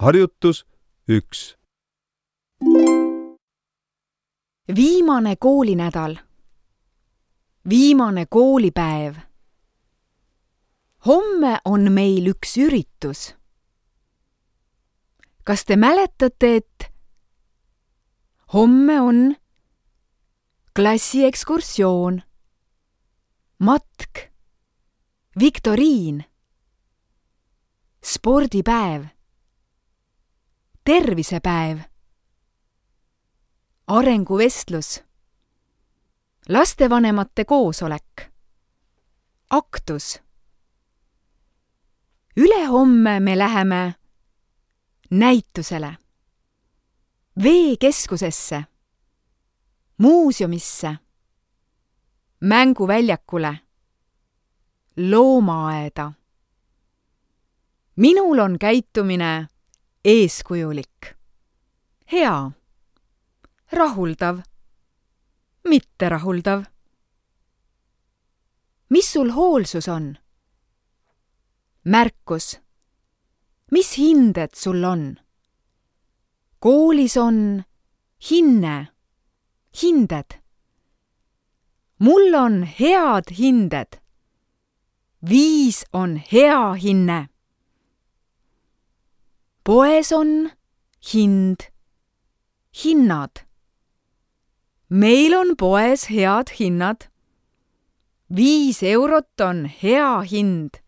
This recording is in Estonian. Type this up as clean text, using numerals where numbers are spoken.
Harjutus 1. Viimane koolinädal. Viimane koolipäev. Homme on meil üks üritus. Kas te mäletate, et homme on klassiekskursioon, matk, viktoriin, spordipäev, tervisepäev, arenguvestlus, lastevanemate koosolek, aktus. Ülehomme me läheme näitusele, veekeskusesse, muuseumisse, mänguväljakule, loomaaeda. Minul on käitumine eeskujulik, hea, rahuldav, mitterahuldav. Mis sul hoolsus on? Märkus. Mis hinded sul on? Koolis on hinne, hinded. Mul on head hinded. 5 on hea hinne. Poes on hind, hinnad. Meil on poes head hinnad. 5 eurot on hea hind.